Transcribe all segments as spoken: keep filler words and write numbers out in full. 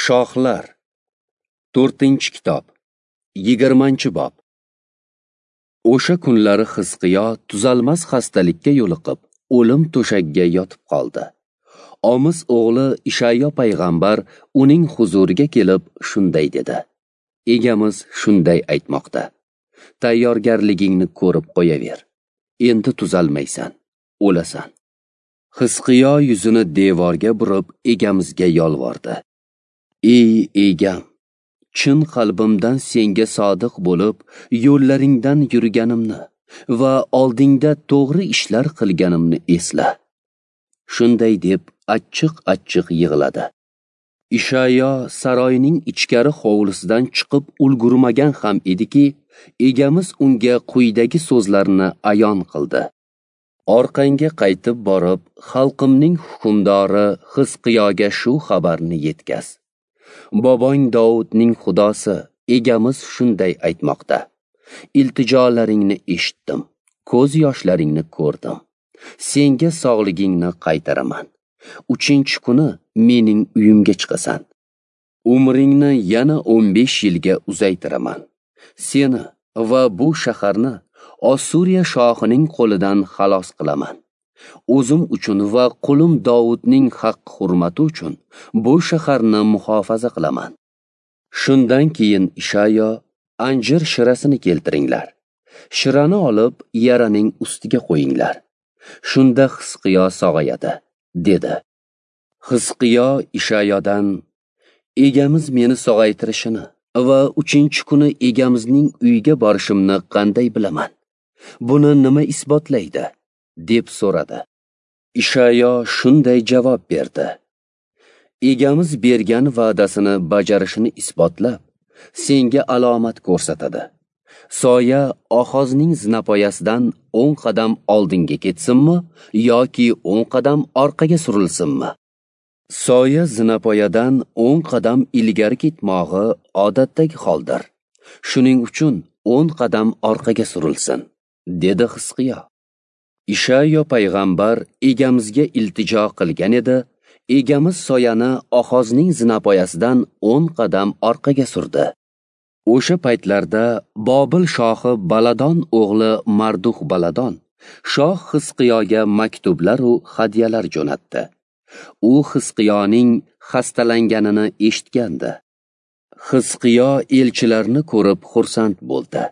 Shohlar, to'rtinchi kitob, yigirmanchi bob. O'sha kunlari Xizqiyo tuzalmas xastalikka yo'liqib, o'lim to'shagiga yotib qoldi. Omis o'g'li Ishayo payg'ambar uning huzuriga kelib shunday dedi: Egamiz shunday aytmoqda: Tayyorgarligingni ko'rib qo'yaver. Endi tuzalmaysan, o'lasan. Xizqiyo yuzini devorga burib egamizga yolvordi: Ey egam, chin qalbimdan senga sodiq bo'lib, yo'llaringdan yurganimni va oldingda to'g'ri ishlar qilganimni esla. Shunday deb achchiq-achchiq yig'ladi. Ishayo saroyning ichkari hovlisidan chiqib ulgurmagan ham ediki, egamiz unga quyidagi so'zlarni ayon qildi: Orqangga qaytib borib, xalqimning hukmdori Xizqiyoga shu xabarni yetkaz. Bobong Dovudning Xudosi egamiz shunday aytmoqda: Iltijolaringni eshitdim, ko'z yoshlaringni ko'rdim. Senga sog'ligingni qaytaraman. Uchinchi kuni mening uyimga chiqasan. Umringni yana o'n besh yilga uzaytiraman. Seni va bu shaharni Ossuriya shohining qo'lidan xalos qilaman. O'zim uchun va qulim Dovudning haq-hurmati uchun bu shaharni muhofaza qilaman. Shundan keyin Ishayo: Anjir shirasini keltiringlar. Shirani olib yaraning ustiga qo'yinglar. Shunda Xizqiyo sog'ayadi, dedi. Xizqiyo Ishayodan: Egamiz meni sog'aytirishini va uchinchi kuni egamizning uyiga borishimni qanday bilaman? Buni nima isbotlaydi? deb so'radi. Ishayo shunday javob berdi: Egamiz bergan va'dasini bajarishini isbotlab, senga alomat ko'rsatadi. Soya Ohozning zinapoyasidan o'n qadam oldinga ketsinmi yoki o'n qadam orqaga surilsinmi? Soya zinapoyadan o'n qadam ilgari ketmog'i odatdagi holdir. Shuning uchun o'n qadam orqaga surilsin, dedi Xizqiyo. Ishayo payg'ambar egamizga iltijo qilgan edi. Egamiz soyani Ohozning zinapoyasidan o'n qadam orqaga surdi. O'sha paytlarda Bobil shohi Baladon o'g'li Mardux Baladon shoh Xizqiyoga maktublar u hadyalar jo'natdi. U Xizqiyoning xastalanganini eshitgandi. Xizqiyo elchilarni ko'rib xursand bo'ldi.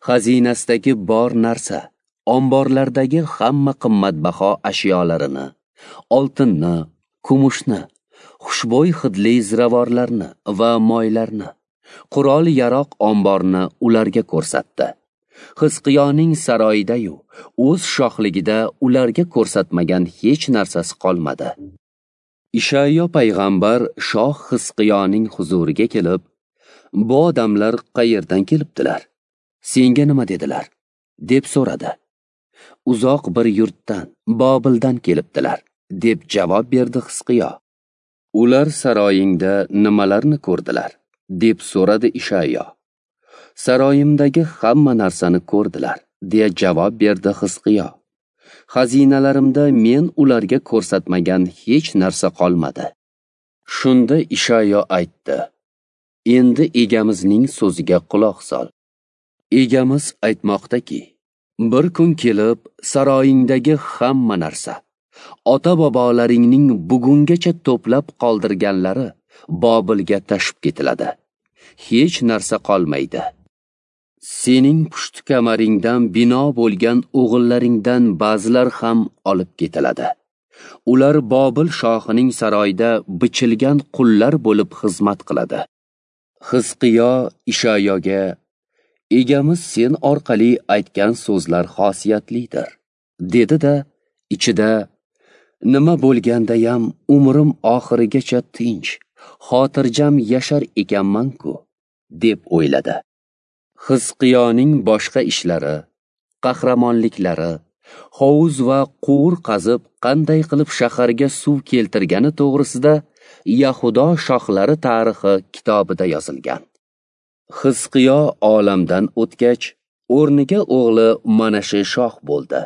Xazinasidagi bor narsa, omborlardagi hamma qimmatbaho ashyolarini, oltinni, kumushni, xushbo'y hidli ziravorlarni va moylarni, qurol-yaroq omborni ularga ko'rsatdi. Xizqiyoning saroyida-yu o'z shohligida ularga ko'rsatmagan hech narsasi qolmadi. Ishayo payg'ambar shoh Xizqiyoning huzuriga kelib: Bu odamlar qayerdan kelibdilar? Senga nima dedilar? deb so'radi. Uzoq bir yurtdan, Bobildan kelibdilar, deb javob berdi Xizqiyo. Ular saroyingda nimalarni ko'rdilar? deb so'radi Ishayo. Saroyimdagi hamma narsani ko'rdilar, deya javob berdi Xizqiyo. Xazinalarimda men ularga ko'rsatmagan hech narsa qolmadi. Shunda Ishayo aytdi: Endi egamizning so'ziga quloq sol. Egamiz aytmoqdaki, bir kun kelib saroyingdagi hamma narsa, ota-bobolaringning bugungacha to'plab qoldirganlari Bobilga tashib ketiladi. Hech narsa qolmaydi. Sening pushti kamaringdan bino bo'lgan o'g'illaringdan ba'zilar ham olib ketiladi. Ular Bobil shohining saroyida bichilgan qullar bo'lib xizmat qiladi. Xizqiyo Ishayoga: Egamiz sen orqali aytgan so'zlar xosiyatlidir, dedi-da, ichida: Nima bo'lgandayam umrim oxirigacha tinch, xotirjam yashar ekanman-ku, deb o'yladi. Xizqiyoning boshqa ishlari, qahramonliklari, hovuz va quvur qazib qanday qilib shaharga suv keltirgani to'g'risida Yahudo shohlari tarixi kitobida yozilgan. Xizqiyo olamdan o'tgach, o'rniga o'g'li Manashe shoh bo'ldi.